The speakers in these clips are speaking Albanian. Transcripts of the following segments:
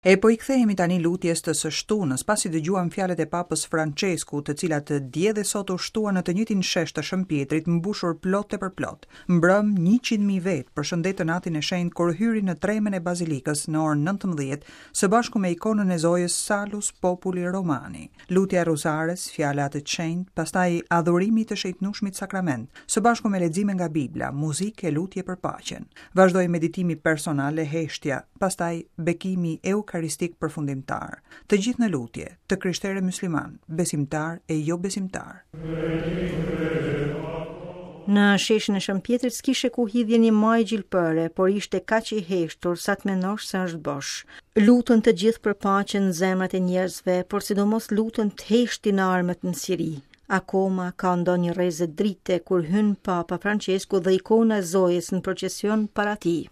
E po i kthehemi tani lutjes të së shtunës, pasi dëgjuam fjalët e Papës Françesku, të cilat dje dhe sot u shtuan në të njëjtin shesh të Shën Pjetrit, mbushur plot e përplot. Mbrëmë, 100.000 vetë përshëndetën Atin e Shenjtë kur hyri në tremen e Bazilikës në orën 19, së bashku me ikonën e Zojës Salus Populi Romani. Lutja e Rruzares, fjala e Atit të Shenjtë, pastaj adhurimi i të Shenjtnushmit Sakrament, së bashku me lexime nga Bibla, muzikë e lutje për paqen. Vazhdoi meditimi personal e heshtja, pastaj bekimi eukaristik përfundimtar. Të gjithë në lutje, të krishterë e myslimanë, besimtarë e jobesimtarë. Në sheshin e Shën Pjetrit s'kishe ku hidhje një majë gjilpëre, por ishte kaq i heshtur sa të mendosh se është bosh. Luten të gjithë për paqen në zemrat e njerëzve, por sidomos luten të heshtin armët në Siri. Akoma ka ndonjë rreze drite kur hyn Papa Françesku dhe ikona e Zojës në procesion para tij.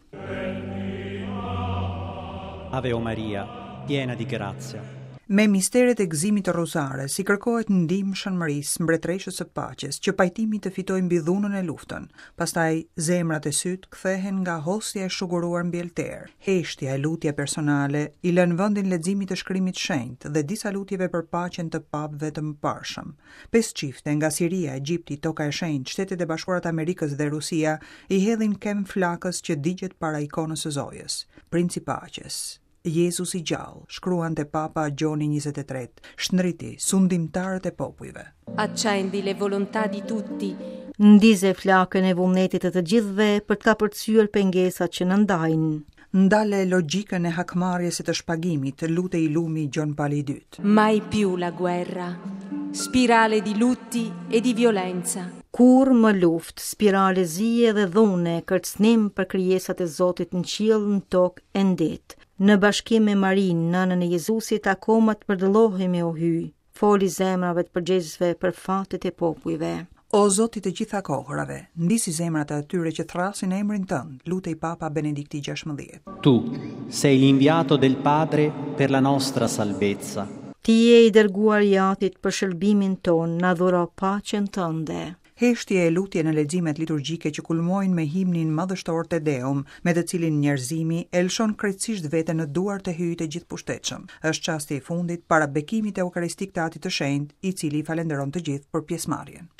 Ave o Maria, piena di grazia. Me misteret e gëzimit të Rruzares i kërkohet ndihmë Shën Mërisë, mbretëreshës së paqes, që pajtimi të fitojë mbi dhunën e luftën. Pastaj zemrat e sytë kthehen nga hostia e shuguruar mbi alter. Heshtja e lutja personale i lënë vendin leximit të shkrimit të shenjtë dhe disa lutjeve për paqen të papëve të mëparshëm. Pesë çifte nga Siria, Egjipti, Toka e Shenjtë, Shtetet e Bashkuara të Amerikës dhe Rusia i hedhin kemë flakës që digjet para ikonës së Zojës. Princ i Paqes. Jezus i gjallë, shkruante Papa Gjoni 23, shndriti sundimtarët e popujve. Accendi le volontà di tutti. Ndize flakën e vullnetit të të gjithëve për të kapërcyer pengesat që na ndajnë. Ndale logjikën e hakmarrjes e të shpagimit, lutej i lumi Gjon Pali i Dytë. Mai più la guerra, spirale di lutti e di violenza. Kurrë më luftë, spirale zie dhe dhune, kërcënim për krijesat e Zotit në qiell, në tokë e në det. Në bashkim me Marinë, nënën e Jezusit, akoma të përdëllohemi o Hyj. Foli zemrave të përgjegjësve për fatet e popujve. O Zot i të gjitha kohërave, ndizi zemrat e atyre që thërrasin emrin tënd, lutej Papa Benedikti XVI. Tu sei l'inviato del Padre per la nostra salvezza. Ti je i dërguari i Atit për shëlbimin tonë, na dhuro paqen tënde. Heshtje e lutje në leximet liturgjike që kulmojnë me himnin madhështor Te Deum, me të cilin njerëzimi e lëshon krejtësisht veten në duart e Hyjit të Gjithëpushtetshëm. Është çasti i fundit para bekimit eukaristik të Atit të Shenjtë, i cili i falënderon të gjithë për pjesëmarrjen.